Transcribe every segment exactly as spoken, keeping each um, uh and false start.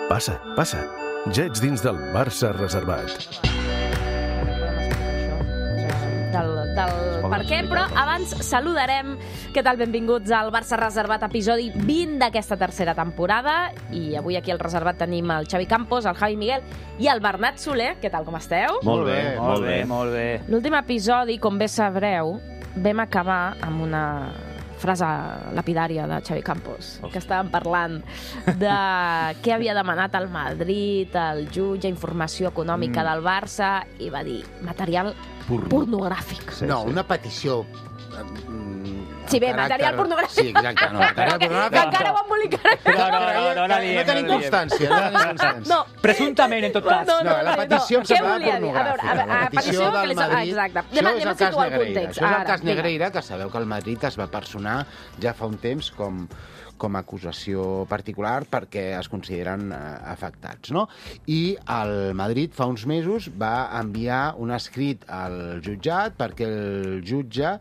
Passa, passa. Ja ets dins del Barça reservat. Del, del per què, però abans saludarem. Què tal? Benvinguts al Barça Reservat, episodi vint d'aquesta tercera temporada. I avui aquí al Reservat tenim el Xavi Campos, el Javi Miguel i el Bernat Soler. Què tal, com esteu? Molt bé, molt bé, molt bé. L'últim episodi, com bé sabreu, vam acabar amb una frase lapidària de Xavi Campos, que estàvem parlant de què havia demanat el Madrid, el jutge, informació econòmica mm. del Barça, i va dir material Porno. pornogràfic. Sí, no, sí. una petició... Sí, bé, material pornogràfic. Sí, exacte, no, material pornogràfic. Que encara ho embolicarà. No, no, no, no, no, no tenim constància. No tenim constància. No. Presumptament, en tot cas. No, no, la petició em semblava pornogràfica. A veure, a veure, la petició del Madrid... Exacte. Això és el cas Negreira. Això és el Ara, cas Negreira, que sabeu que el Madrid es va personar ja fa un temps com... com a acusació particular perquè es consideren eh, afectats, no? I el Madrid fa uns mesos va enviar un escrit al jutjat perquè el jutge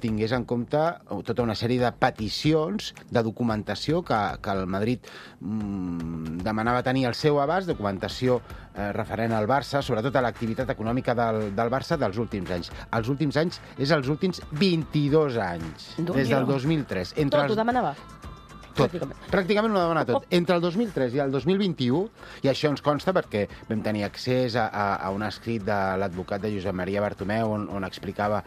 tingués en compte tota una sèrie de peticions de documentació que, que el Madrid mm, demanava tenir al seu abast, documentació eh, referent al Barça, sobretot a l'activitat econòmica del, del Barça dels últims anys. Els últims anys és els últims vint-i-dos anys, des del dos mil tres. Tot ho demanava? Tot. Pràcticament. Pràcticament ho demana tot. Entre el dos mil tres i el dos mil vint-i-u, i això ens consta perquè vam tenir accés a, a, a un escrit de l'advocat de Josep Maria Bartomeu on, on explicava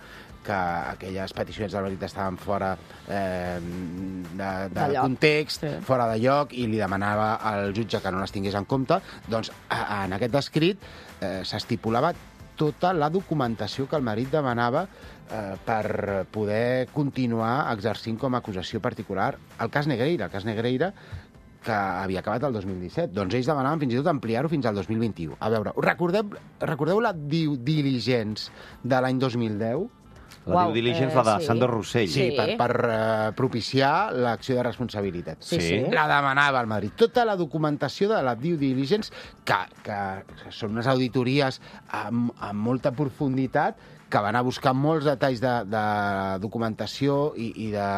que aquelles peticions del Madrid estaven fora eh, de, de, de context, sí. fora de lloc, i li demanava al jutge que no les tingués en compte. Doncs a, en aquest escrit eh, s'estipulava tota la documentació que el Madrid demanava eh, per poder continuar exercint com a acusació particular el cas Negreira, el cas Negreira que havia acabat el dos mil disset. Doncs ells demanaven fins i tot ampliar-ho fins al dos mil vint-i-u. A veure, recordeu, recordeu la due diligence de l'any dos mil deu? La due diligence, eh, la de sí. Sandro Rossell. Sí, sí. per, per uh, propiciar l'acció de responsabilitat. Sí, sí. La demanava el Madrid. Tota la documentació de la due diligence, que, que, que són unes auditories amb, amb molta profunditat, que van a buscar molts detalls de, de documentació i, i de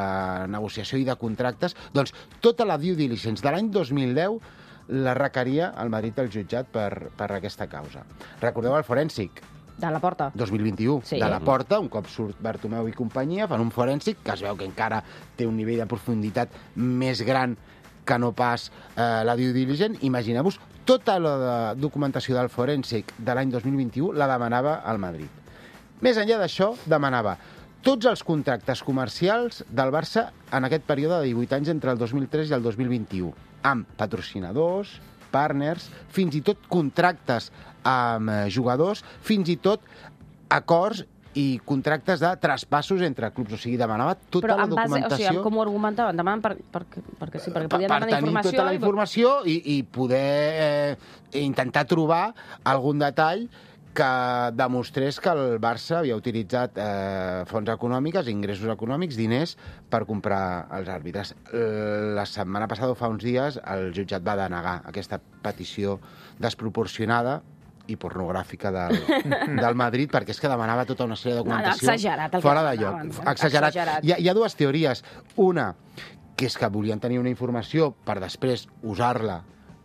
negociació i de contractes, doncs tota la due diligence de l'any dos mil deu la requeria el Madrid al jutjat per, per aquesta causa. Recordeu el forènsic? De la Porta. dos mil vint-i-u. Sí. De la Porta, un cop surt Bartomeu i companyia, fan un forènsic que es veu que encara té un nivell de profunditat més gran que no pas eh, la due diligence. Imagineu-vos, tota la documentació del forènsic de l'any dos mil vint-i-u la demanava al Madrid. Més enllà d'això, demanava tots els contractes comercials del Barça en aquest període de divuit anys entre el dos mil tres i el dos mil vint-i-u, amb patrocinadors, partners, fins i tot contractes amb jugadors, fins i tot acords i contractes de traspassos entre clubs. O sigui, demanava tota Però la base, documentació... O sigui, com ho argumentaven? Demanen per, per, perquè sí, perquè podien per, demanar per informació... tenir tota la informació i, i poder eh, intentar trobar algun detall que demostrés que el Barça havia utilitzat eh, fons econòmics, ingressos econòmics, diners per comprar els àrbitres. La setmana passada, fa uns dies, el jutjat va denegar aquesta petició desproporcionada i pornogràfica del, del Madrid, perquè és que demanava tota una sèrie de documentació no, exagerat, fora de lloc. Exagerat. exagerat. Hi, ha, hi ha dues teories. Una, que és que volien tenir una informació per després usar-la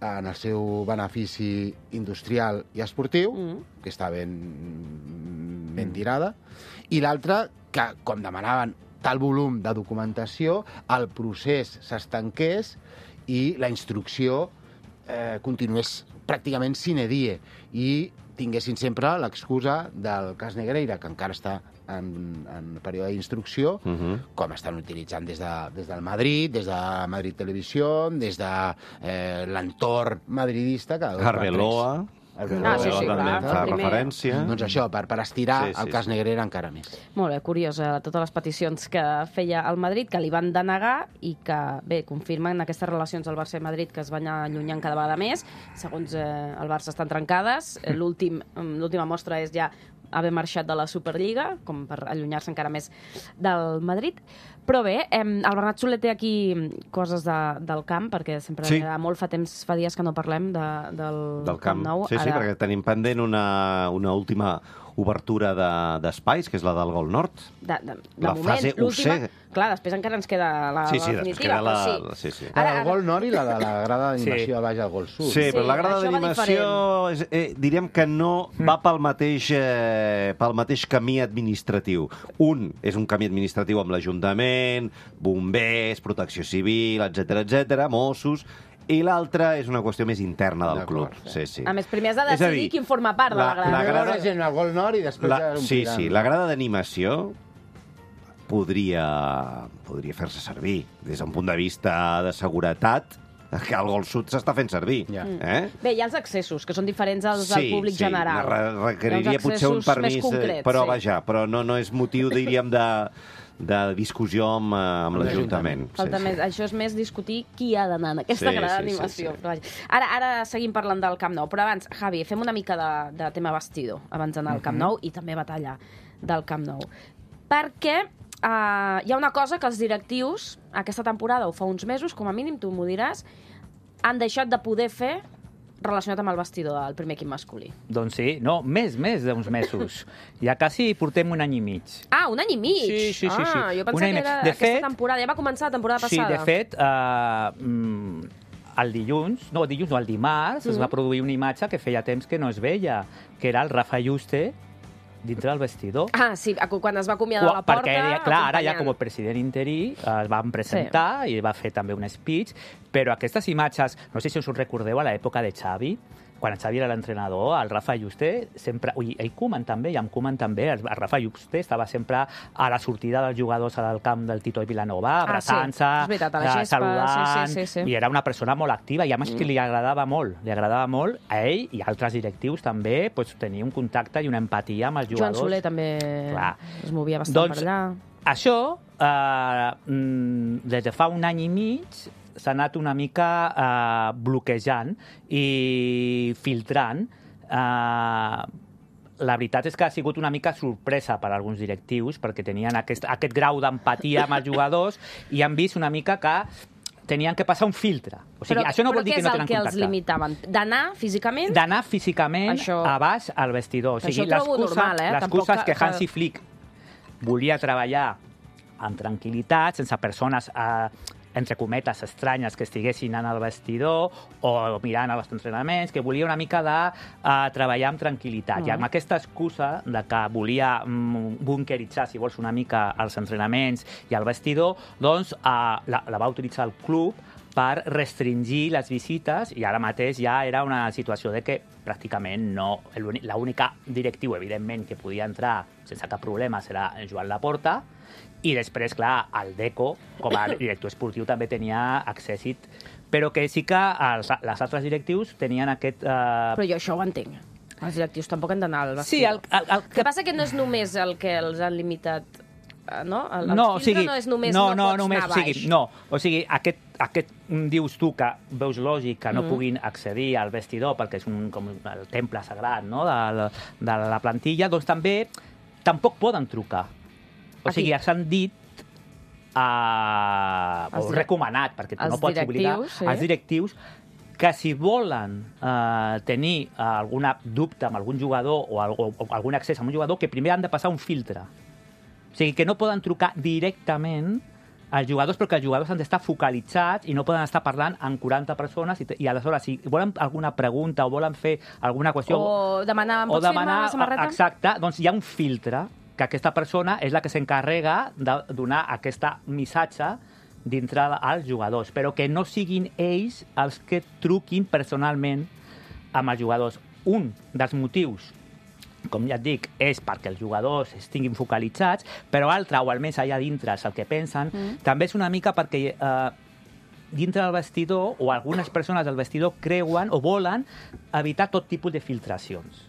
en el seu benefici industrial i esportiu, mm. que està ben, ben tirada, i l'altra, que com demanaven tal volum de documentació, el procés s'estanqués i la instrucció eh, continués pràcticament sine die, i tinguessin sempre l'excusa del cas Negreira, que encara està en, en període d'instrucció, uh -huh. com estan utilitzant des, de, des del Madrid, des de Madrid Televisió, des de eh, l'entorn madridista. Que Arbeloa. Arbeloa, ah, sí, sí, també clar, fa primer. referència. Doncs això, per, per estirar sí, sí, el cas sí. Negreira encara més. Molt bé, curiós, eh, totes les peticions que feia el Madrid, que li van denegar i que, bé, confirmen aquestes relacions del Barça i Madrid que es van allunyant cada vegada més. Segons eh, el Barça estan trencades. L'últim, l'última mostra és ja haver marxat de la Superliga, com per allunyar-se encara més del Madrid. Però bé, eh, el Bernat Soler té aquí coses de, del camp, perquè sempre sí. molt fa temps, fa dies que no parlem de, del, del camp. Camp Nou. Sí, sí, Ara... perquè tenim pendent una, una última obertura d'espais, que és la del Gol Nord. De, de, de La moment, fase U C. l'última... Clar, després encara ens queda la, Sí, sí, la després definitiva, queda la... però sí. sí, sí. La del Gol Nord i la de la grada d'animació Sí. a baix al Gol Sud. Sí, però Sí, la grada això va d'animació és, eh, diríem que no va pel mateix, eh, pel mateix camí administratiu. Un és un camí administratiu amb l'Ajuntament, bombers, protecció civil, etcètera, etcètera, Mossos, i l'altre és una qüestió més interna del club. D'acord. Sí, sí. A més, primer has de És a decidir dir, qui en forma part de la, la- grada. la Primer grada- la gent al Gol Nord i després La, ja sí, l'ompliran. sí, la grada d'animació podria, podria fer-se servir des d'un punt de vista de seguretat, que al Gol Sud s'està fent servir. Ja. Eh? Bé, hi ha els accessos, que són diferents als del públic sí, general. re requeriria Hi ha uns potser un accessos permís, més concrets, eh, però sí. vaja, però no, no és motiu, diríem, de, de discussió amb, eh, amb Amb l'Ajuntament. Falta més, això és més discutir qui ha d'anar en aquesta Sí, grada sí, d'animació. sí, sí. Però vaja. Ara, ara seguim parlant del Camp Nou, però abans, Javi, fem una mica de, de tema vestidor abans d'anar al Camp Nou i també batalla del Camp Nou. Perquè uh, hi ha una cosa que els directius, aquesta temporada o fa uns mesos, com a mínim, tu m'ho diràs, han deixat de poder fer relacionat amb el vestidor del primer equip masculí. Doncs sí, no, més, més d'uns mesos. Ja quasi portem un any i mig. Ah, un any i mig! Sí, sí, sí, sí. Ah, jo Un pensava any i que mig. era De aquesta fet- temporada. Ja va començar la temporada Sí, passada. de fet, uh, mm, el dilluns, no, el dilluns no, el dimarts, es va produir una imatge que feia temps que no es veia, que era el Rafa Juste dintre del vestidor. Ah, sí, quan es va acomiadar a la porta... Perquè, clar, ara ja acompanyant. com a president interí es van presentar sí. i va fer també un speech, però aquestes imatges, no sé si us ho recordeu a l'època de Xavi, quan el Xavi era l'entrenador, el Rafa Juste sempre... Ui, ell Koeman també, i amb Koeman també, el Rafa Juste estava sempre a la sortida dels jugadors al camp del Tito i Vilanova, abraçant-se, Ah, sí. És veritat, a la gespa, saludant, sí, sí, sí, sí. i era una persona molt activa, i a més que li agradava molt, li agradava molt a ell i a altres directius també, pues, tenir un contacte i una empatia amb els Joan jugadors. Soler també Clar. es movia bastant Doncs, per allà. Això, eh, mm, des de fa un any i mig, s'ha anat una mica eh, bloquejant i filtrant. Eh, la veritat és que ha sigut una mica sorpresa per a alguns directius, perquè tenien aquest, aquest grau d'empatia amb els jugadors i han vist una mica que tenien que passar un filtre. O sigui, Però, això no però vol dir què que no és el tenen que els contacte. limitaven? D'anar físicament? D'anar físicament Això- a baix al vestidor. O sigui, Això ho trobo l'excusa- normal, eh? L'excusa Tampoc és que que- Hansi Flick volia treballar amb tranquil·litat, sense persones, eh, entre cometes, estranyes que estiguessin en el vestidor o mirant els entrenaments, que volia una mica de eh, treballar amb tranquil·litat. Mm. I amb aquesta excusa de que volia mm, bunkeritzar, si vols, una mica els entrenaments i el vestidor, doncs eh, la, la va utilitzar el club per restringir les visites i ara mateix ja era una situació de que pràcticament no... L'única directiu, evidentment, que podia entrar sense cap problema serà Joan Laporta i després, clar, el Deco, com a director esportiu, també tenia accèssit, però que sí que els, les altres directius tenien aquest... Eh... Però jo això ho entenc. Els directius tampoc han d'anar al Sí, vestidor. el, el, el, El que passa que no és només el que els han limitat, eh, no? El, el no, o filtre sigui, no és només no, no, no, pots només, anar o sigui, baix. no, o sigui, aquest, aquest mm, dius tu que veus lògic que no Mm. puguin accedir al vestidor perquè és un, com el temple sagrat, no?, de, de la plantilla, doncs també tampoc poden trucar. O Aquí. sigui, s'han dit eh, Els o dire- recomanat, perquè tu els no pots obligar directius, sí. els directius que si volen eh, tenir eh, algun dubte amb algun jugador o, o, o algun accés a un jugador, que primer han de passar un filtre. O sigui, que no poden trucar directament als jugadors, perquè els jugadors han d'estar focalitzats i no poden estar parlant amb quaranta persones i, i aleshores, si volen alguna pregunta o volen fer alguna qüestió... O demanar, em o pots firmar la samarreta? Exacte, doncs hi ha un filtre que aquesta persona és la que s'encarrega de donar aquest missatge dintre als jugadors, però que no siguin ells els que truquin personalment amb els jugadors. Un dels motius, com ja et dic, és perquè els jugadors estiguin focalitzats, però altre, o almenys allà dintre, és el que pensen, mm. també és una mica perquè eh, dintre del vestidor, o algunes persones del vestidor creuen o volen evitar tot tipus de filtracions.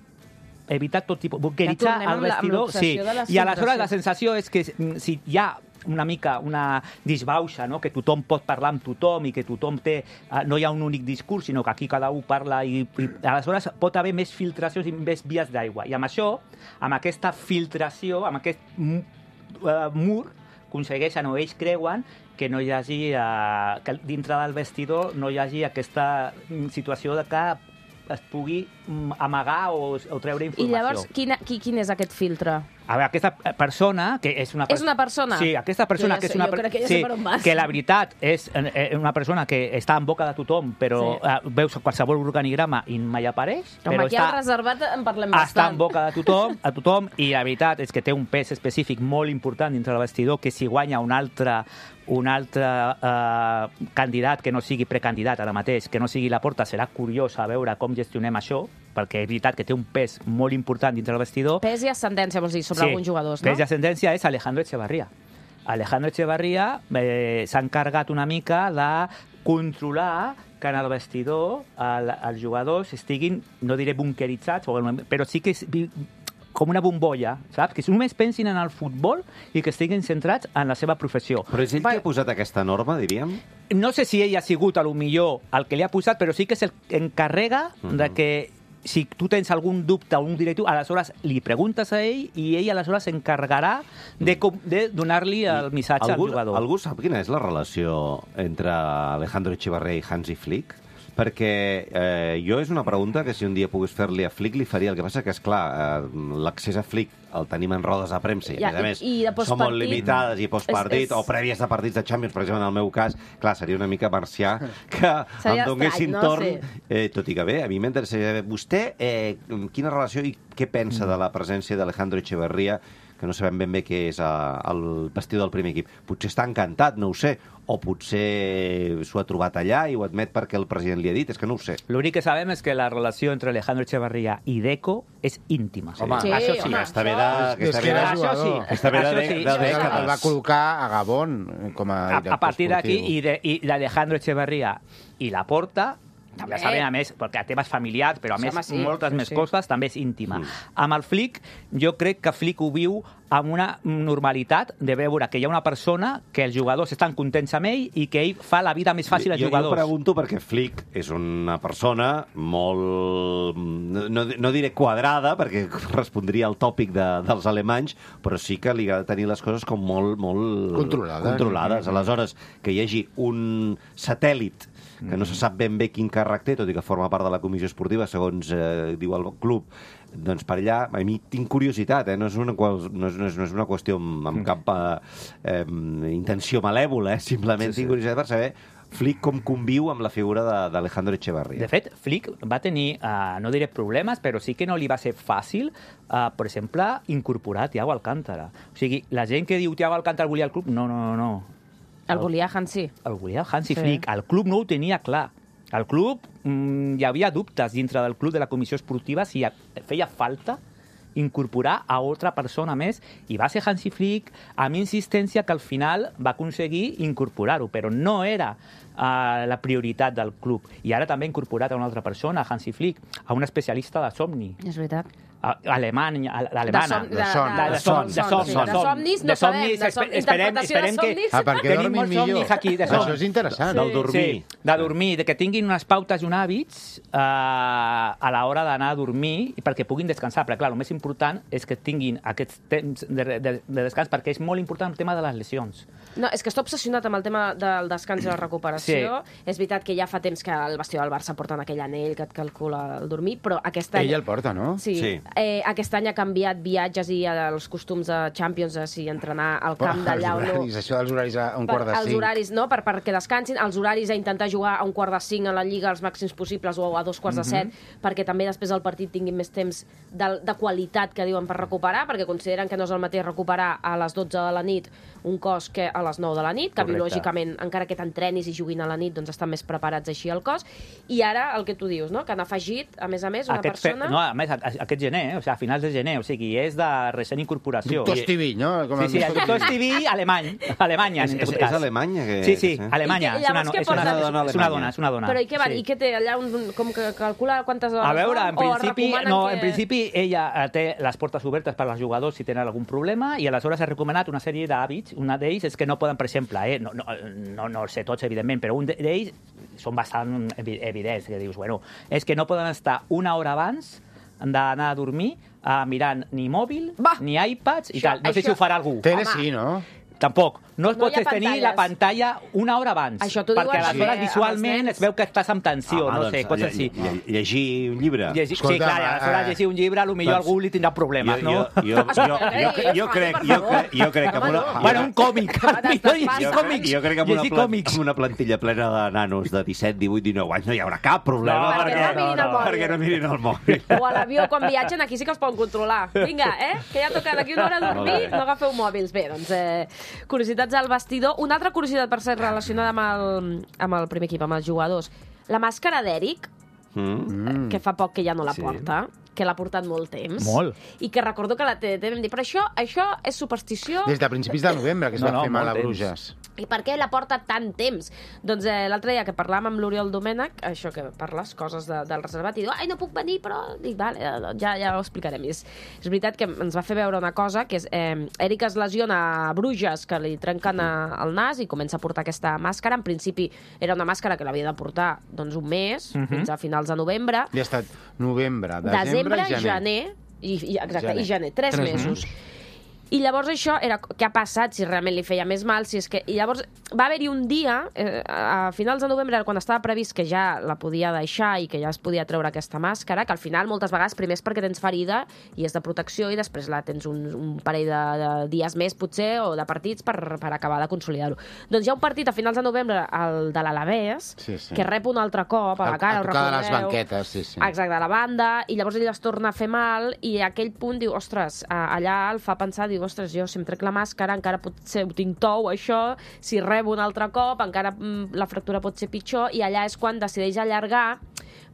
Evitar tot tipus... Bunkeritzar tornem el amb la- amb vestidor... l'obsessió Sí, de les i aleshores filtracions. la sensació és que mm, si hi ha una mica una disbauxa, no? Que tothom pot parlar amb tothom i que tothom té... Uh, no hi ha un únic discurs, sinó que aquí cada un parla i, i aleshores pot haver més filtracions i més vies d'aigua. I amb això, amb aquesta filtració, amb aquest uh, mur, aconsegueixen o ells creuen que no hi hagi, uh, que dintre del vestidor no hi hagi aquesta situació de que es pugui mm, amagar o, o treure I informació. llavors, quina, qui, quin és aquest filtre? A veure, aquesta persona, que és una... És una persona? Sí, aquesta persona Jo ja que és sé, una... jo crec que ja sí, sé per on vas. que la veritat és eh, una persona que està en boca de tothom, però Sí. eh, veus qualsevol organigrama i mai apareix. Home, però aquí està, al reservat en parlem està bastant. en boca de tothom, a tothom, i la veritat és que té un pes específic molt important dintre del vestidor, que si guanya un altre un altre eh, candidat que no sigui precandidat ara mateix, que no sigui Laporta, serà curiós a veure com gestionem això, perquè és veritat que té un pes molt important dintre del vestidor. Pes i ascendència, vols dir, sobre Sí, alguns jugadors, no? pes i ascendència és Alejandro Echevarría. Alejandro Echevarría eh, s'ha encarregat una mica de controlar que en el vestidor el, els jugadors estiguin, no diré bunkeritzats, però sí que és com una bombolla, saps? Que només pensin en el futbol i que estiguin centrats en la seva professió. Però és ell qui ha posat aquesta norma, diríem? No sé si ell ha sigut, a lo millor, el que li ha posat, però sí que és el que encarrega Mhm. de que si tu tens algun dubte o un directiu, aleshores li preguntes a ell i ell aleshores s'encarregarà de, com- de donar-li el missatge algú, al jugador. Algú sap quina és la relació entre Alejandro Echevarría i Hansi Flick? Perquè eh, jo és una pregunta que si un dia pogués fer-li a Flick li faria. El que passa que, és clar, eh, l'accés a Flick el tenim en rodes de premsa i, Ja, a més a més, i- i de són molt postpartit limitades i postpartit és- és- o prèvies de partits de Champions, per exemple, en el meu cas, clar, seria una mica marcià que Seria em donessin estrany, no? torn. Sí. Eh, tot i que bé, a mi m'interessaria saber vostè eh, quina relació i què pensa Mm. de la presència d'Alejandro Echevarría, que no sabem ben bé què és eh, el vestidor del primer equip. Potser està encantat, no ho sé, o potser s'ho ha trobat allà i ho admet perquè el president li ha dit, és que no ho sé. L'únic que sabem és que la relació entre Alejandro Echevarría i Deco és íntima. Home, Sí, això sí. home, Aquesta ve de... És Aquesta que ve de... era Això sí. jugador. Aquesta ve de, Això de, sí. de, Això de sí. El va dècades. col·locar a Gabón com a A, director a partir d'aquí, esportiu. i de- i d'Alejandro Echevarría i Laporta, També. ja sabem, a més, perquè a temes familiars, però a Sí, més home, sí. moltes Sí, més sí. coses, també és íntima. Mm. Amb el Flick, jo crec que Flick ho viu amb una normalitat de veure que hi ha una persona que els jugadors estan contents amb ell i que ell fa la vida més fàcil als jo, jugadors. Jo pregunto perquè Flick és una persona molt... No, no, no diré quadrada, perquè respondria al tòpic de, dels alemanys, però sí que li ha de tenir les coses com molt... molt Controlades. controlades. Aleshores, que hi hagi un satèl·lit que no se sap ben bé quin càrrec té, tot i que forma part de la comissió esportiva, segons eh, diu el club, doncs per allà, a mi tinc curiositat, eh? no, és una, qual- no, és, no, és, no és una qüestió amb, amb cap eh, eh, intenció malèvola, eh? simplement Sí, sí. tinc curiositat per saber Flick com conviu amb la figura de- d'Alejandro Echevarría. De fet, Flick va tenir, uh, no diré problemes, però sí que no li va ser fàcil, uh, per exemple, incorporar Thiago Alcántara. O sigui, la gent que diu Thiago Alcántara volia el club, no, no, no, no. El volia Hansi. El volia Hansi Sí. Flick. El club no ho tenia clar. El club, mm, hi havia dubtes dintre del club de la comissió esportiva si feia falta incorporar a altra persona més, i va ser Hansi Flick amb insistència que al final va aconseguir incorporar-ho, però no era uh, la prioritat del club. I ara també ha incorporat a una altra persona, Hansi Flick, a un especialista de somni. És veritat. A- Alemanya, a- alemana. De som- de- de de, son, som- de de, som, sí. de, De som- somnis no de sabem, somnis, de som- espe- esperem, interpretació de esperem que... somnis. Ah, perquè Tenim dormin molts millor. somnis aquí, de som. Això és interessant. Del dormir. Sí, de dormir, de que tinguin unes pautes i uns hàbits eh, a l'hora d'anar a dormir i perquè puguin descansar. Però, clar, el més important és que tinguin aquests temps de, de, de descans, perquè és molt important el tema de les lesions. No, és que està obsessionat amb el tema del descans i la recuperació. Sí. És veritat que ja fa temps que el vestidor del Barça porten aquell anell que et calcula el dormir, però aquest any... Ell el porta, no? Sí. Sí. Eh, aquest any ha canviat viatges i els costums de Champions, de si entrenar al camp d'allà o Els no. horaris, això dels horaris a un Per, quart de els cinc. horaris, no? Per, perquè descansin. Els horaris a intentar jugar a un quart de cinc a la Lliga els màxims possibles o a dos quarts de set, perquè també després del partit tinguin més temps de, de qualitat, que diuen, per recuperar, perquè consideren que no és el mateix recuperar a les dotze de la nit un cos que a les nou de la nit, que Correcte. biològicament, encara que t'entrenis i juguin a la nit, doncs estan més preparats així al cos. I ara, el que tu dius, no? Que han afegit, a més a més, una Aquest fe- persona... no, a més, a- a- aquest gener, eh? O sigui, a finals de gener, o sigui, és de recent incorporació. Doctor Estivill, no? Com Sí, sí, el doctor Estivill, alemany. Alemanya, És, en és, tot és cas. Alemanya? Que, Sí, sí, que Alemanya. I que- És una, llavors què és una, porta? és una Alemanya. dona, és una dona. Però i què, van? Sí. I què té allà? Un, com que calcula quantes hores A veure, en dorm? O principi, recomanen no, que... en principi ella eh, té les portes obertes per als jugadors si tenen algun problema i aleshores ha recomanat una sèrie d'hàbits. Una d'ells és que no poden, per exemple, eh, no, no, no, no els sé tots, evidentment, però un d'ells són bastant evi- evidents, que dius, bueno, és que no poden estar una hora abans d'anar a dormir uh, mirant ni mòbil, Va. ni iPads i Això- tal. No sé això- si ho farà algú. Tele Home. sí, no? Tampoc. No es No pot hi ha tenir pantalles. la pantalla una hora abans. Això t'ho diuen perquè aleshores també visualment amb els es veu que estàs amb tensió, Home, no doncs, sé, coses lle- així. lle- Llegir un llibre. Llegir, sí, Escolta, clar, eh, aleshores llegir un llibre, potser doncs- algú li tindrà problemes, jo, no? jo, jo, jo, jo, jo, jo, crec, jo, crec, jo crec que amb una... Home, Bueno, un còmic. Millor llegir jo, còmics. jo crec que amb una, Llegir pla, còmics. amb una plantilla plena de nanos de disset, divuit, dinou anys no hi haurà cap problema No, perquè no mirin el mòbil. perquè no mirin el mòbil. O a l'avió, quan viatgen, aquí sí que els poden controlar. Vinga, eh? Que ja toca d'aquí una hora dormir, no agafeu mòbils. Bé, doncs, eh, curiositats al vestidor. Una altra curiositat, per ser relacionada amb el, amb el primer equip, amb els jugadors. La màscara d'Eric, Mm. que fa poc que ja no la Sí. porta, que l'ha portat molt temps. Molt. I que recordo que la T D T vam dir, però això, això és superstició. Des de principis de novembre, que es No, va no, fer mal a molt Bruges. I per què la porta tant temps? Doncs eh, l'altre dia que parlàvem amb l'Oriol Domènech, això que per les coses de, del reservat, i diu, ai, no puc venir, però... Dic, vale, doncs ja, ja ho explicarem. I és, és veritat que ens va fer veure una cosa, que és, eh, Eric es lesiona a Bruges, que li trenquen a, el nas i comença a portar aquesta màscara. En principi era una màscara que l'havia de portar doncs, un mes, Mhm. fins a finals de novembre. I ha estat novembre, desembre, Desembre, i gener. gener, i, i, exacte, Gener. i gener, tres, Tres mesos. I llavors això era què ha passat, si realment li feia més mal, si és que... I llavors va haver-hi un dia, eh, a finals de novembre, quan estava previst que ja la podia deixar i que ja es podia treure aquesta màscara, que al final moltes vegades primer és perquè tens ferida i és de protecció i després la tens un, un parell de, de dies més, potser, o de partits per, per acabar de consolidar-ho. Doncs hi ha un partit a finals de novembre, el de l'Alavés, Sí, sí. que rep un altre cop a la cara, a ho tocar de les recordeu? banquetes, sí, sí. Exacte, a la banda, i llavors ell es torna a fer mal, i a aquell punt diu, ostres, a- allà el fa pensar, diu, ostres, jo si em trec la màscara, encara potser ho tinc tou, això, si rebo un altre cop, encara mm, la fractura pot ser pitjor, i allà és quan decideix allargar,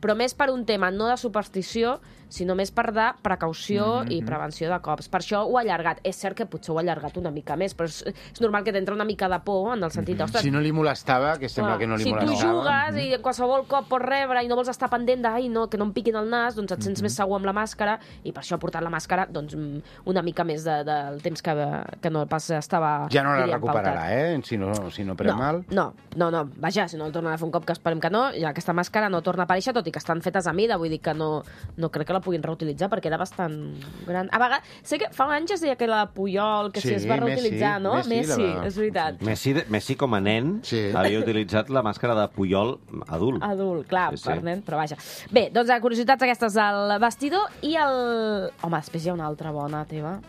però més per un tema no de superstició, sinó més per de precaució mm -hmm. i prevenció de cops. Per això ho ha allargat. És cert que potser ho ha allargat una mica més, però és, és normal que t'entra una mica de por, en el sentit, ostres, Si no li molestava, que sembla clar, que no li si tu molestava. jugues i en qualsevol cop pots rebre i no vols estar pendent de, ai, no, que no em piquin el nas, doncs et sents més segur amb la màscara, i per això ha portat la màscara doncs, mm, una mica més de, del temps que, que no pas estava... Ja no la diríem, recuperarà, pautat. eh? Si no, si no pren No, mal. no, no, no, vaja, si no el tornen a fer un cop, que esperem que no, ja aquesta màscara no torna a aparèixer, tot i que estan fetes a mida, vull dir que no, no crec que la puguin reutilitzar, perquè era bastant gran. A vegades, sé que fa anys es deia que la Puyol, que sí, Sí, es va reutilitzar, Messi, no? Messi, Messi, la va- és veritat. Messi, Messi com a nen, Sí. havia utilitzat la màscara de Puyol adult. Adult, clar, Sí, sí, sí. per nen, però vaja. Bé, doncs a curiositats aquestes del vestidor i el... Home, després hi ha una altra bona teva,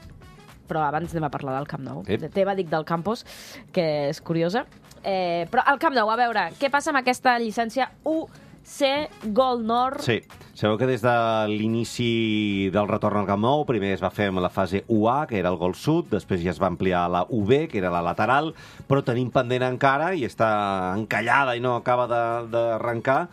però abans anem a parlar del Camp Nou. Ep. De teva, dic, del Campos, que és curiosa. Eh, però al Camp Nou, a veure, què passa amb aquesta llicència U C Gol Nord? Sí, sabeu que des de l'inici del retorn al Camp Nou, primer es va fer amb la fase U A, que era el gol sud, després ja es va ampliar a la U B, que era la lateral, però tenim pendent encara, i està encallada i no acaba de- d'arrencar,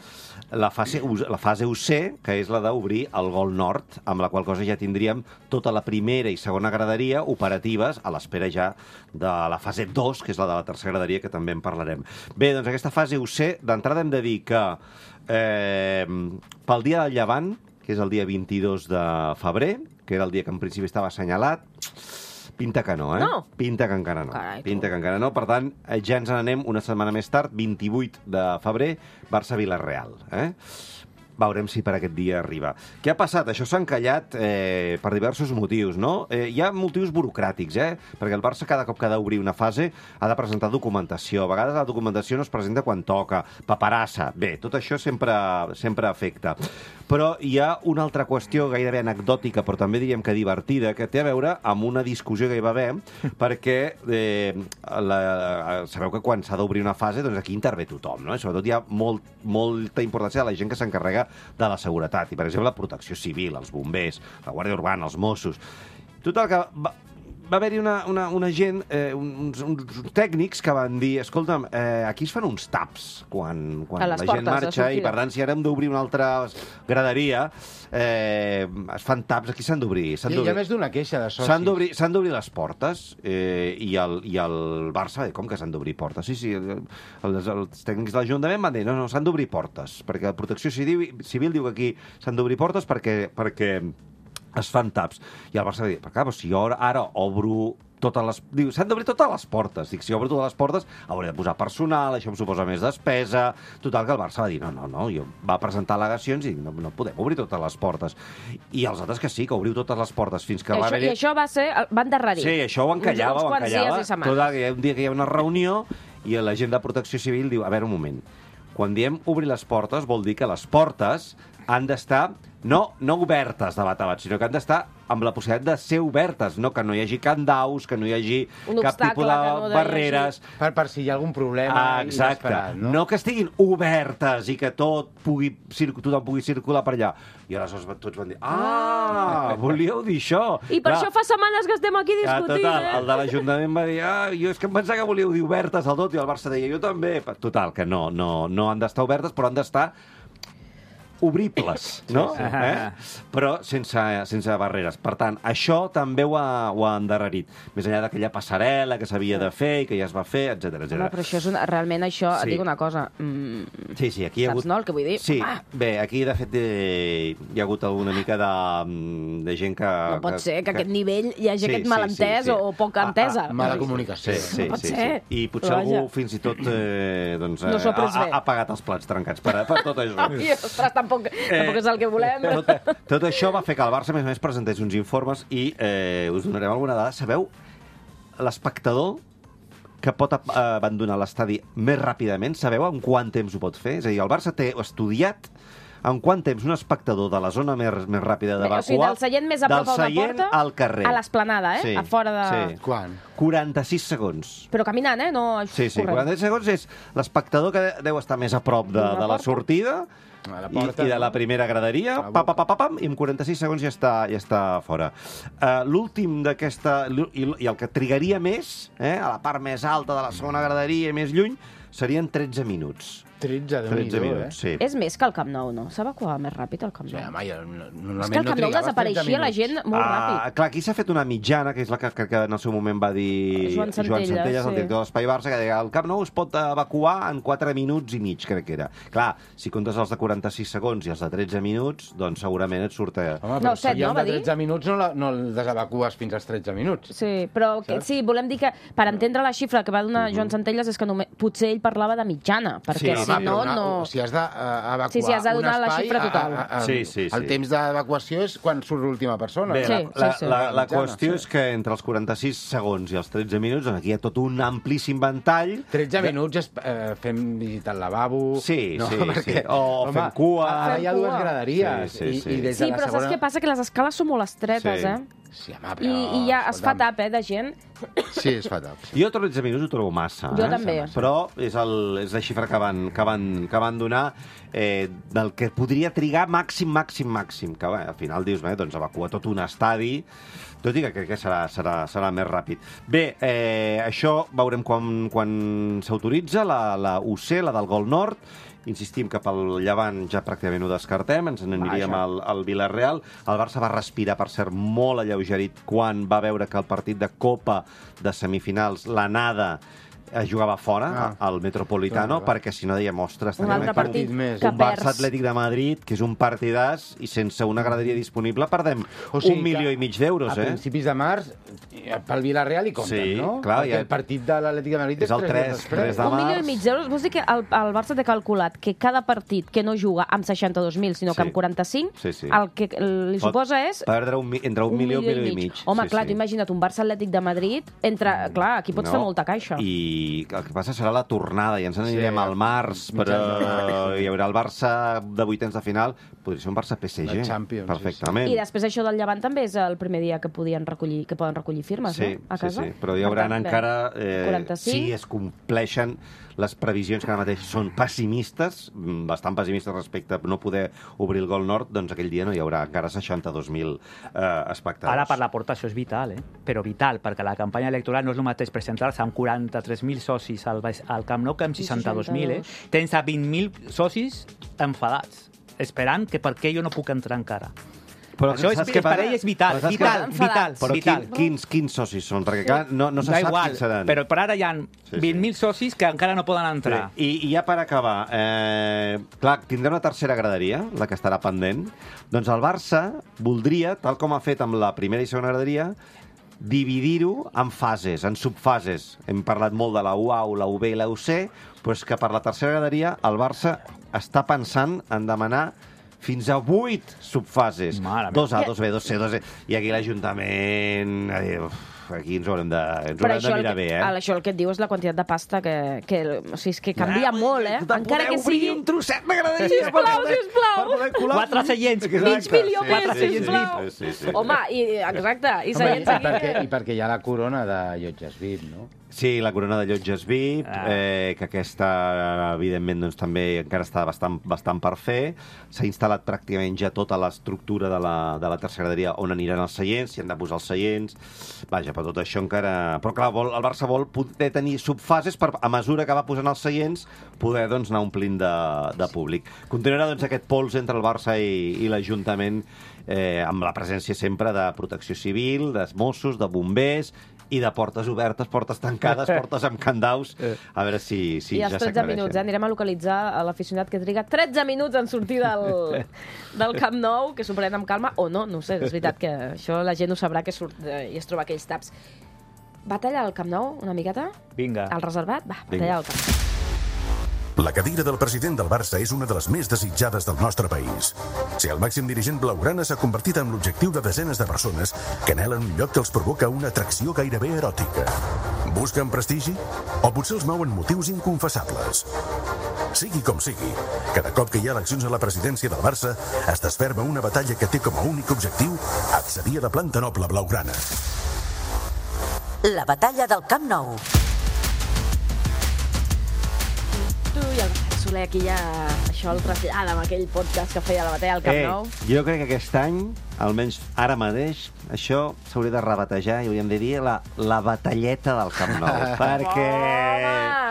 la fase, U, la fase U C, que és la d'obrir el gol nord, amb la qual cosa ja tindríem tota la primera i segona graderia operatives a l'espera ja de la fase dos, que és la de la tercera graderia, que també en parlarem. Bé, doncs aquesta fase U C, d'entrada hem de dir que eh, pel dia del Llevant, que és el dia vint-i-dos de febrer, que era el dia que en principi estava assenyalat, pinta que no, eh? No. Pinta que encara no. Carai, tu. Pinta que encara no. Per tant, eh, ja ens n'anem una setmana més tard, vint-i-vuit de febrer, Barça-Vilareal. Eh? Veurem si per aquest dia arriba. Què ha passat? Això s'ha encallat eh, per diversos motius, no? Eh, hi ha motius burocràtics, eh? Perquè el Barça cada cop que ha d'obrir una fase ha de presentar documentació. A vegades la documentació no es presenta quan toca. Paperassa. Bé, tot això sempre, sempre afecta. Però hi ha una altra qüestió gairebé anecdòtica, però també diríem que divertida, que té a veure amb una discussió que hi va haver, perquè eh, la, sabeu que quan s'ha d'obrir una fase, doncs aquí intervé tothom, no? I sobretot hi ha molt, molta importància de la gent que s'encarrega de la seguretat. I, per exemple, la protecció civil, els bombers, la Guàrdia Urbana, els Mossos. Total, que va, va haver-hi una, una, una gent, eh, uns, uns tècnics que van dir, escolta'm, eh, aquí es fan uns taps quan, quan A la les gent portes de marxa, i sortida. per tant, si ara hem d'obrir una altra graderia, eh, es fan taps, aquí s'han d'obrir. s'han Hi, hi ha d'obrir. més d'una queixa de socis. S'han d'obrir s'han d'obrir les portes eh, i, el, i el Barça, eh, com que s'han d'obrir portes? Sí, sí, el, els, els tècnics de l'Ajuntament van dir, no, no, s'han d'obrir portes, perquè la Protecció Civil, Civil diu que aquí s'han d'obrir portes perquè, perquè es fan taps. I el Barça va dir, però clar, si jo ara obro totes les... Diu, s'han d'obrir totes les portes. Dic, si obro totes les portes, hauré de posar personal, això em suposa més despesa... Total, que el Barça va dir, no, no, no, jo va presentar al·legacions i no, no podem obrir totes les portes. I els altres que sí, que obriu totes les portes fins que I va això, haver... I això va ser... Va endarrerir. Sí, això ho encallava, uns, uns ho quants encallava. dies i setmanes. Total, que hi ha un dia que hi ha una reunió i la gent de Protecció Civil diu, a veure, un moment, quan diem obrir les portes vol dir que les portes han d'estar no, no obertes de bat a bat, sinó que han d'estar amb la possibilitat de ser obertes, no que no hi hagi candaus, que no hi hagi Un cap obstacle, tipus de que no hi barreres. Per, per si hi ha algun problema Ah, exacte. inesperat, no? No que estiguin obertes i que tot pugui, circu- tothom pugui circular per allà. I aleshores tots van dir, ah, volíeu dir això. I per Clar, això fa setmanes que estem aquí Ah, discutint, total, eh? el de l'Ajuntament va dir, ah, jo és que em pensava que volíeu dir obertes al tot, i el Barça deia, jo també. Total, que no, no, no han d'estar obertes, però han d'estar obribles, no? sí. Eh? Però sense, sense barreres. Per tant, això també ho ha, ho ha endarrerit. Més enllà d'aquella passarel·la que s'havia de fer i que ja es va fer, etcètera, Home, etcètera. però això és una, realment això, Sí. et dic una cosa, mm, Sí, sí, aquí hi ha saps, hagut... no, el que vull dir? Sí, Home, bé, aquí de fet eh, hi ha hagut alguna mica de, de gent que... no pot ser que a aquest nivell hi hagi Sí, aquest sí, malentès sí, sí. o poca Ah, entesa. ah, Mala Sí, comunicació. Sí, sí, No pot sí, ser. sí. I potser Però vaja. algú fins i tot eh, doncs, No s'ho ha eh, pres ha, bé. ha pagat els plats trencats per, per tot això. Ai, ostres, tampoc, tampoc és el que volem. Tot, tot això va fer que el Barça, a més a més, presentés uns informes i eh, us donarem alguna dada. Sabeu l'espectador que pot ab- abandonar l'estadi més ràpidament? Sabeu en quant temps ho pot fer? És a dir, el Barça té estudiat en quant temps un espectador de la zona més, més ràpida Bé, d'evacuar... o sigui, del seient més a prop del a una seient porta al carrer. a l'esplanada, eh? Sí, A fora de... sí. Quan? quaranta-sis segons. Però caminant, eh? No Sí, sí, corrent. quaranta-sis segons és l'espectador que deu estar més a prop de, D'una de la porta. sortida A la i, porta, i de la no? primera graderia, A la pa, pa, boca. pa, pa, pam, i en quaranta-sis segons ja està, ja està fora. Uh, L'últim d'aquesta... I, I el que trigaria més, eh, a la part més alta de la segona graderia i més lluny, serien tretze minuts. tretze, tretze Déu-n'hi-do, minuts, sí. És més que el Camp Nou, no? S'evacuava més ràpid el Camp Sí, Nou. home, ja, no- És normalment que el no Camp Nou trigaves desapareixia la tretze gent minuts. molt Ah, ràpid. clar, aquí s'ha fet una mitjana, que és la que, que, que en el seu moment va dir Joan Centelles, Centelles, el sí. director de l'Espai Barça, que deia el Camp Nou es pot evacuar en quatre minuts i mig, crec que era. Clar, si comptes els de quaranta-sis segons i els de tretze minuts, doncs segurament et surt... Eh... Home, No, però set, si hi ha no, va de dir? tretze minuts no, la, no el desevacues fins als tretze minuts. Sí, però que, Saps? sí, volem dir que per entendre la xifra que va donar Joan Centelles és que només, potser ell parlava de mitjana, perquè Sí, si home, no, però una, no... Si has d'evacuar Sí, sí, has de donar un la espai, xifra total. A, a, a, Sí, sí, sí. El temps d'evacuació és quan surt l'última persona. Bé, Sí, la, la, sí, sí. la, la Mitjana, qüestió sí. és que entre els quaranta-sis segons i els tretze minuts, doncs aquí hi ha tot un amplíssim ventall. tretze de- minuts és, eh, fem visitar el lavabo... Sí, no? sí, Perquè, sí. O fem cua. Ara hi ha Fem dues cua. graderies. Sí, sí, sí. I, i des Sí, de la però segona... saps què passa? Que les escales són molt estretes, Sí. eh? Sí, home, I, però... I ja es fa escolta'm, tap, eh, de gent. Sí, es fa tap. Jo tretze minuts ho trobo massa. Jo eh? també. Però és, el, és la xifra que van, que van, que van donar eh, del que podria trigar màxim, màxim, màxim. Que bé, al final dius, bé, doncs evacuar tot un estadi, tot i que crec que serà, serà, serà més ràpid. Bé, eh, això veurem quan, quan s'autoritza, la, la U C, la del Gol Nord. Insistim que pel Llevant ja pràcticament ho descartem, ens n'aniríem Vaja. al, al Villarreal. El Barça va respirar, per cert, molt alleugerit quan va veure que el partit de Copa de semifinals, l'anada, es jugava fora, Ah. al Metropolitano, Clar, clar. perquè si no deia, ostres, Un tenim altre aquí partit un- que un Barça perds. Atlètic de Madrid, que és un partidàs, i sense una graderia disponible perdem O sigui un milió que i mig d'euros, A eh? principis de març, eh, pel Villarreal hi compten, Sí, no? clar, Perquè ja- el partit de l'Atlètic de Madrid És el tres tres, dies després. tres de Un milió març. i mig d'euros. Vols dir que el, el Barça té calculat que cada partit que no juga amb seixanta-dos mil, sinó que Sí. amb quaranta-cinc, Sí, sí. el que li Pot suposa és Perdre un, mi- entre un, milió i un milió i mig. Home, Sí, clar, sí. tu imagina't un Barça Atlètic de Madrid, entre... Clar, aquí pots No, fer molta caixa. I el que passa serà la tornada, i ens n'anirem Sí, al març, mitjans però de març. hi haurà el Barça de vuitens de final, podria ser un Barça P S G. La Champions, sí, perfectament. I després això del Llevant també és el primer dia que podien recollir, que poden recollir firmes, Sí, no? A casa. sí, sí, però hi Per haurà tant, bé, encara... Eh, quaranta-cinc. si es compleixen les previsions que ara mateix són pessimistes, mm, bastant pessimistes respecte a no poder obrir el Gol Nord, doncs aquell dia no hi haurà encara seixanta-dos mil eh, espectadors. Ara per la porta això és vital, eh? Però vital, perquè la campanya electoral no és el mateix presentar-se amb quaranta-tres mil socis al, al Camp Nou que amb Sí, seixanta-dos mil, eh? seixanta-dos. Tens a vint mil socis enfadats, esperant que per què jo no puc entrar encara. Però Això és, saps és què per passa? ell és vital, Però saps vital, què- vital, Però vital. quin, quins, quins socis són? Perquè clar, no, no se Da sap igual, quins seran. però per ara hi ha sí. vint mil socis que encara no poden entrar. Sí. I, I ja per acabar, eh, clar, tindrà una tercera graderia, la que estarà pendent. Doncs el Barça voldria, tal com ha fet amb la primera i segona graderia, dividir-ho en fases, en subfases. Hem parlat molt de la U A, la U B i la U C, doncs que per la tercera graderia el Barça està pensant en demanar fins a vuit subfases. Mare meva. Dos A, dos B, dos C, dos C. I aquí l'Ajuntament... eh, uf, Aquí ens ho haurem de, ens ho Però haurem de això el, mirar que, bé, eh? això el que et diu és la quantitat de pasta que... que o sigui, és que canvia molt, eh? Encara que sigui... un trosset m'agradaria. Sisplau, sisplau. Per poder colar... Quatre seients. Mig milió Sí, més, sí, sí, sisplau. sí, sí, sí. Home, i, exacte, i Home, seients i, aquí... perquè, I perquè hi ha la corona de llotges V I P, no? Sí, la corona de llotges V I P, Ah. eh, que aquesta, evidentment, doncs, també encara està bastant, bastant per fer. S'ha instal·lat pràcticament ja tota l'estructura de la, de la tercera graderia on aniran els seients, s'hi han de posar els seients. Vaja, per tot això encara... Però clar, vol, el Barça vol poder tenir subfases per, a mesura que va posant els seients, poder doncs, anar omplint de, de públic. Continuarà doncs, aquest pols entre el Barça i, i l'Ajuntament, eh, amb la presència sempre de protecció civil, dels Mossos, de bombers, i de portes obertes, portes tancades, portes amb candaus, a veure si, si I ja els tretze minuts, eh? Anirem a localitzar a l'aficionat que triga tretze minuts en sortir del, del Camp Nou, que s'ho pren amb calma, o no, no ho sé, és veritat que això la gent ho sabrà que surt eh, i es troba aquells taps. Batalla al Camp Nou, una miqueta? Vinga. Al reservat? Va, Vinga. batalla al Camp Nou. La cadira del president del Barça és una de les més desitjades del nostre país. Ser el màxim dirigent blaugrana s'ha convertit en l'objectiu de desenes de persones que anhelen un lloc que els provoca una atracció gairebé eròtica. Busquen prestigi? O potser els mouen motius inconfessables? Sigui com sigui, cada cop que hi ha eleccions a la presidència del Barça es desferma una batalla que té com a únic objectiu accedir a la planta noble blaugrana. La batalla del Camp Nou. Tu i el Bernat Soler aquí ja això el trasllada amb aquell podcast que feia la batalla al Camp Eh, Nou. jo crec que aquest any, almenys ara mateix, això s'hauria de rebatejar i hauríem de dir la, la batalleta del Camp Nou. perquè...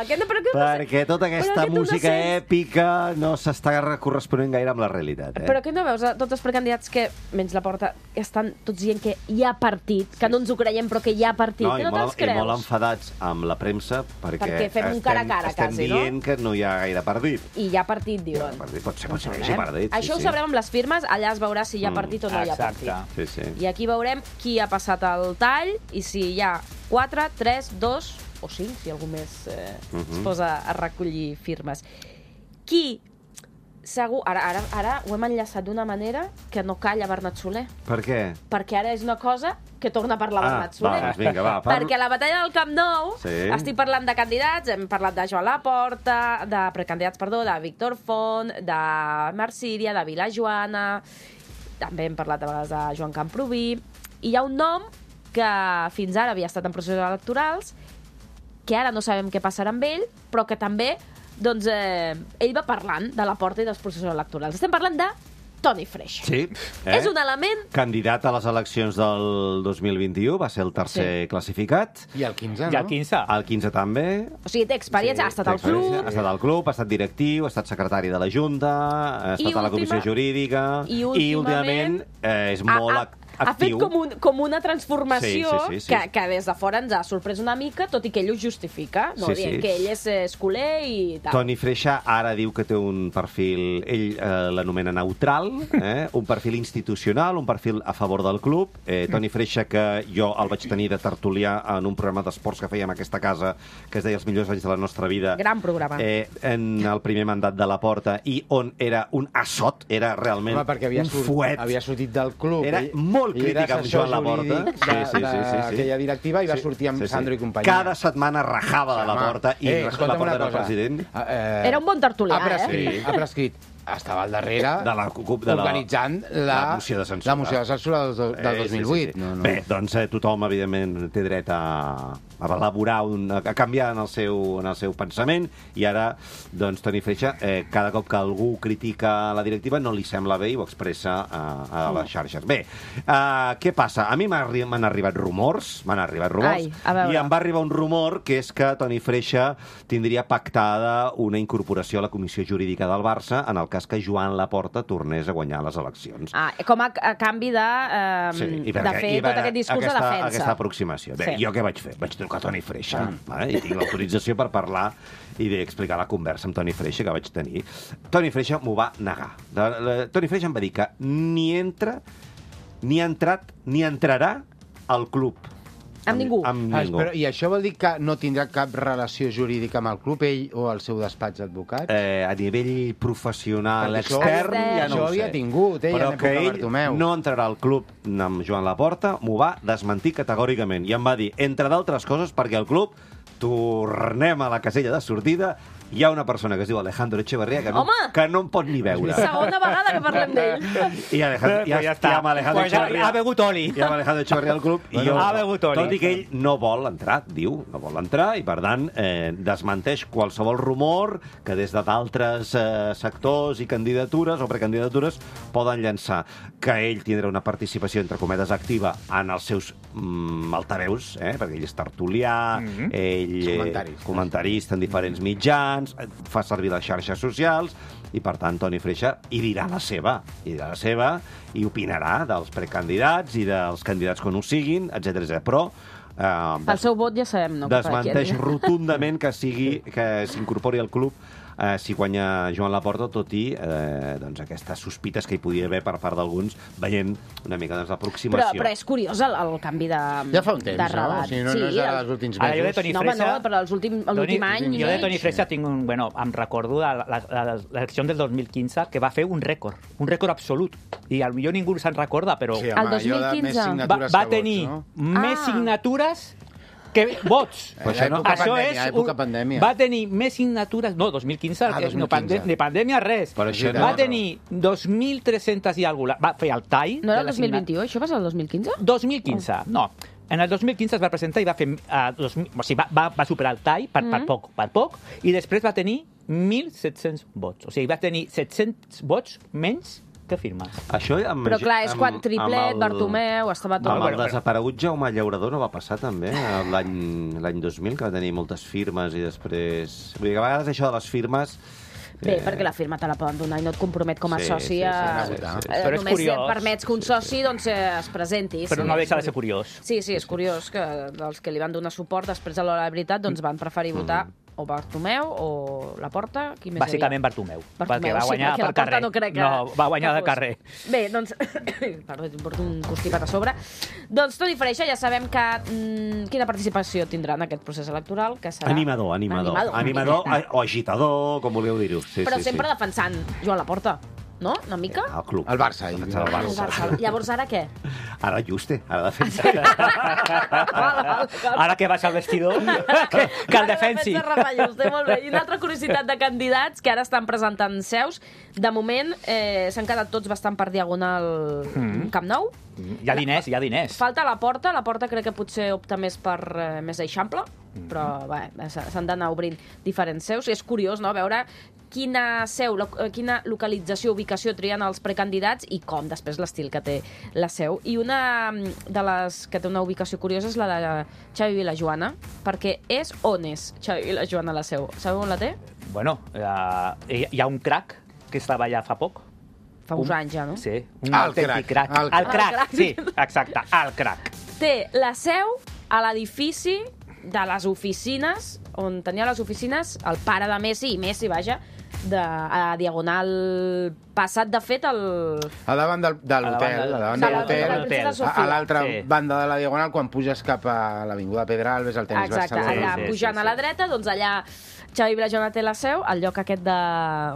Home, que no, però que no sé- perquè tota aquesta però que tu no música sents- èpica no s'està corresponent gaire amb la realitat. Eh? Però que no veus a tots els precandidats que, menys la porta, estan tots dient que hi ha partit, que no ens ho creiem, però que hi ha partit, No, que i, no molt, te'ls i creus? molt enfadats amb la premsa perquè, Perquè fem un cara a cara, estem, quasi, estem no? dient que no hi ha gaire partit. I hi ha partit, diuen. Partit pot ser, pot ser, Veurem. sí, partit. Això ho sí, sabrem amb les firmes, allà es veurà si hi ha Mm, partit o no hi ha exacte. partit. Sí, sí. I aquí veurem qui ha passat el tall i si hi ha quatre, tres, dos o cinc, si algú més eh, Mhm. es posa a recollir firmes. Qui segur... Ara, ara, ara ho hem enllaçat d'una manera que no calla Bernat Soler, Per què? perquè ara és una cosa que torna a parlar Ah, Bernat va, Soler. doncs vinga, va. parla. Perquè a la batalla del Camp Nou Sí. estic parlant de candidats, hem parlat de Joan Laporta, de precandidats, perdó, de Víctor Font, de Marc Síria, de Vila Joana, també hem parlat a vegades de Joan Camproví, i hi ha un nom que fins ara havia estat en processos electorals, que ara no sabem què passarà amb ell, però que també doncs, eh, ell va parlant de la porta i dels processos electorals. Estem parlant de Toni Freixa. Sí. Eh? És un element... Candidat a les eleccions del dos mil vint-i-u, va ser el tercer Sí. classificat. I el quinze, no? I el quinze. El quinze també. O sigui, té experiència, ha estat Té al club... experiència, Ha estat al club, ha estat directiu, ha estat secretari de la Junta, ha estat I a la comissió última- jurídica i i últimament últimament eh, és molt ha, ac- ha fet actiu. com, un, com una transformació Sí, sí, sí, sí. Que, que des de fora ens ha sorprès una mica, tot i que ell ho justifica, no? Sí, Dient sí. que ell és eh, escoler i tal. Toni Freixa ara diu que té un perfil, ell eh, l'anomena neutral, eh? un perfil institucional, un perfil a favor del club. Eh, Toni Freixa, que jo el vaig tenir de tertulià en un programa d'esports que fèiem a aquesta casa, que es deia Els millors anys de la nostra vida. Gran programa. Eh, en el primer mandat de la Porta, i on era un assot, era realment Home, perquè havia, un surt, fuet. havia sortit del club. Era ell- molt ell era crític amb assessor Joan Laporta. jurídic Sí, de- sí, sí, sí, sí. d'aquella directiva i va sortir amb Sandro i companyia. Cada setmana rajava de la Home, Porta i eh, la escolta'm Porta una era el cosa. president. Eh, Era un bon tertulià, ha prescrit, eh? Ha prescrit. Estava al darrere De la CUP, de la- organitzant la, la moció de censura. la moció de censura del, do- del Eh, dos mil vuit. sí, sí, sí. No, no. Bé, doncs eh, tothom, evidentment, té dret a, a elaborar, un, a canviar en el, seu, en el seu pensament, i ara, doncs, Toni Freixa, eh, cada cop que algú critica la directiva no li sembla bé i ho expressa a, a les xarxes. Bé, uh, què passa? A mi m'ha arri- m'han arribat rumors, m'han arribat rumors, Ai, a veure. i em va arribar un rumor que és que Toni Freixa tindria pactada una incorporació a la Comissió Jurídica del Barça en el cas cas que Joan Laporta tornés a guanyar les eleccions. Ah, com a, a canvi de, eh, Sí, i de perquè- fer i tot per- aquest discurs aquesta, de defensa. Aquesta aproximació. Bé, Sí. jo què vaig fer? Vaig trucar a Toni Freixa, vale? I tinc l'autorització per parlar i d'explicar la conversa amb Toni Freixa que vaig tenir. Toni Freixa m'ho va negar. De, la, Toni Freixa em va dir que ni entra, ni ha entrat, ni entrarà al club. Amb ningú. Amb Ah, ningú. però, I això vol dir que no tindrà cap relació jurídica amb el club, ell o el seu despatx d'advocats? Eh, a nivell professional Perquè això- extern, ja no això ho sé. havia tingut, eh, Però en època que ell Bartomeu. no entrarà al club amb Joan Laporta, m'ho va desmentir categòricament. I em va dir, entre d'altres coses, perquè al club tornem a la casella de sortida, hi ha una persona que es diu Alejandro Echeverría que no, Home! que no em pot ni veure. Segona vegada que parlem d'ell. I Alejandro, ja, ja, està. Ja amb Alejandro Pues ja Echeverría, ha begut oli. ja amb Alejandro Echeverría al club. Bueno, i jo, ha begut oli. tot i que ell no vol entrar, diu, no vol entrar, i per tant eh, desmenteix qualsevol rumor que des de d'altres eh, sectors i candidatures o precandidatures poden llançar que ell tindrà una participació, entre cometes, activa en els seus mm, altaveus, eh, perquè ell és tertulià, Mhm. ell eh, Comentarista. comentarista en diferents mitjans, eh, fa servir les xarxes socials, i per tant Toni Freixa hi dirà la seva, hi dirà la seva i opinarà dels precandidats i dels candidats quan ho siguin, etcètera etcètera. Però eh, El seu vot ja sabem, no? desmenteix rotundament que sigui que s'incorpori al club eh, si guanya Joan Laporta, tot i eh, doncs aquestes sospites que hi podia haver per part d'alguns, veient una mica doncs, Però, l'aproximació. però és curiós el, el canvi de, Ja fa un temps, de no? relat. O sigui, no, no és ara dels últims Ara jo de mesos. Toni No, home, no, Freixa- però els últim- l'últim any i Jo de mig. Toni Freixa tinc un... Bueno, em recordo de la- la- la- l'elecció del dos mil quinze que va fer un rècord, un rècord absolut. I potser ningú se'n recorda, però Sí, El home, dos mil allò de més quinze. va, signatures va que tenir vots, més Ah. signatures que vots. Però això no- època Això pandèmia, és època un- pandèmia. Va tenir més signatures... No, dos mil quinze, Ah, que dos mil no pande quinze. de pandèmia res. Però això va no- tenir dos mil tres-cents i alguna cosa. Va fer el tall. No era de el la dos mil signa- vint u, això va ser el dos mil quinze? dos mil quinze, no. En el dos mil quinze es va presentar i va fer... Uh, dos mil, o sigui, va, va, va superar el tall per, per poc, per poc, i després va tenir mil set-cents vots. O sigui, va tenir set-cents vots menys que firmes. Això amb, Però clar, és amb- quan amb Triplet, el- Bartomeu, estava tot... Amb el Bueno, però- desaparegut Jaume Llaurador no va passar també eh, l'any l'any dos mil, que va tenir moltes firmes i després... Vull dir que a vegades això de les firmes... Bé, eh, perquè la firma te la poden donar i no et compromet com a Sí, soci sí, sí, a... sí, sí, sí. eh, Però és només curiós. permets que un soci doncs, eh, es presenti. Però sí, no és deixa de ser curiós. curiós. Sí, sí, és curiós que dels que li van donar suport després a l'hora de veritat doncs van preferir votar o Bartomeu o Laporta, qui més Bàsicament Bartomeu, Bartomeu, perquè va sí, guanyar perquè per Laporta carrer. no crec que... No, va guanyar que de fos. carrer. Bé, doncs... Perdó, em porto un constipat a sobre. Doncs Toni Freixa, ja sabem que mm, quina participació tindrà en aquest procés electoral, que serà... Animador, animador. Animador, Animador una miqueta. o agitador, com vulgueu dir-ho. Sí, Però sí, sempre sí. defensant Joan Laporta, no? Una mica? Al club. El Barça, ell. Defensar el El Barça. Barça. Llavors, ara què? Ara Juste, ara defensa. Val, val, val. Ara que vas al vestidor, que, que el defensi. Ara defensa Rafa Juste, molt bé. I una altra curiositat de candidats que ara estan presentant seus. De moment, eh, s'han quedat tots bastant per diagonal Mm. Camp Nou. Hi ha diners, hi ha diners. Falta la Porta. La Porta crec que potser opta més per eh, més eixample, però bé, s- s'han d'anar obrint diferents seus. I és curiós, no?, veure quina seu, lo- eh, quina localització, ubicació trien els precandidats i com després l'estil que té la seu. I una mm, de les que té una ubicació curiosa és la de Xavi Vilajoana, perquè és on és Xavi Vilajoana la seu. Sabeu on la té? Bueno, uh, hi, hi ha un crac que estava allà fa poc. Fa uns Un- anys ja, no? Sí, un Ah, el autèntic crac, crac. el El crac. crac, El crac. sí, exacte, el crac. Té la seu a l'edifici de les oficines, on tenia les oficines el pare de Messi, i Messi, vaja, de, a Diagonal passat, de fet, el... A davant del, de A davant l'hotel, del- a davant de de la- l'hotel, de la Princesa a, Sofia. a l'altra Sí. banda de la Diagonal, quan puges cap a l'Avinguda Pedralbes, al tenis Exacte, Barcelona. allà Sí, sí, pujant sí, a la sí. dreta, doncs allà Xavi Vilajoana té la seu, el lloc aquest de,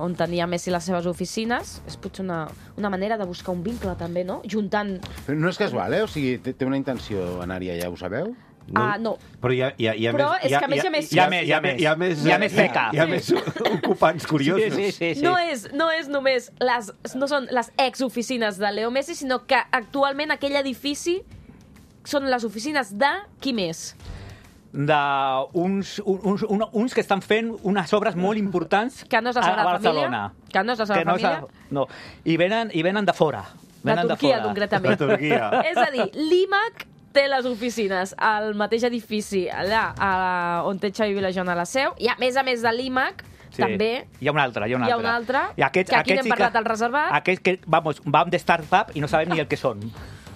on tenia Messi les seves oficines. És potser una, una manera de buscar un vincle, també, no? Juntant... Però no és casual, eh? O sigui, té, té una intenció anar-hi allà, ho sabeu? Ah, no. Però hi ha, hi ha, hi ha Però més... és que a més hi ha més- Hi ha, Hi ha hi ha, més, hi ha més... hi ha més feca. Hi ha més ocupants curiosos. Sí, sí, sí. sí. No és, no és només les, no són les exoficines de Leo Messi, sinó que actualment aquell edifici són les oficines de qui més? d'uns uns, un, uns que estan fent unes obres molt importants Que no és la a- a Sagrada Barcelona. Família? Que no és la Sagrada no és la- Família? No, i venen, i venen de fora. De Venen Turquia, fora. concretament. De Turquia. És a dir, l'I M A C té les oficines al mateix edifici, allà a, on té Xavi Vilajoana la seu, i a més a més de l'I M A C, Sí. també Hi ha un altre, hi ha un hi ha altre. un altre, I aquests, que aquí aquests n'hem sí parlat al reservat. Aquests que, vamos, vam de start-up i no sabem ni el que són.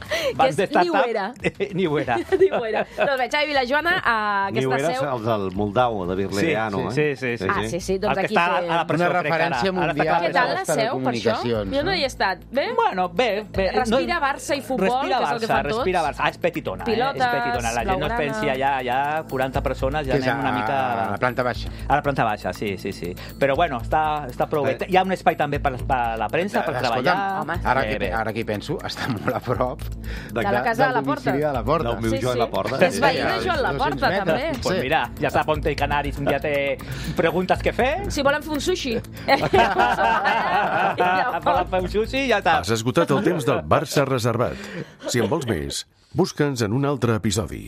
Que és ni ho era. Ni ho era. Ni ho era. Doncs bé, Xavi Vilajoana, a Ni ho aquesta eres seu... el del Moldau, de Birleano, sí, eh? sí, sí, sí. Ah, sí, sí, doncs El que aquí està té... a la presó, Una crec que ara. referència Ara està mundial. a Què la tal presó. la seu, per això? telecomunicacions, Jo no no? hi he estat. Bé? Bueno, bé, bé. Respira Barça i futbol, respira que és el que Barça, fan tots. Respira Barça. Ah, és petitona, Pilotes, eh? És petitona. La gent no es blaugrana. pensi allà, ja quaranta persones, ja Que és anem una mica... a la planta baixa. A la planta baixa, sí, sí, sí. Però bueno, està, està prou bé. Eh. Hi ha un espai també per, per la premsa, per treballar. home. Ara, Bé, que, bé. ara que hi penso, està molt a prop De la casa de la Porta. De la Porta. Del meu Sí, Joan sí. Laporta. Que és veí de Sí, Joan dos-cents Laporta, metres. també. Pues Sí. mira, ja sap on té Canaris, un dia té preguntes que fer. Si volen fer un sushi. Volen fer un sushi i ja està. Has esgotat el temps del Barça reservat. Si en vols més, busca'ns en un altre episodi.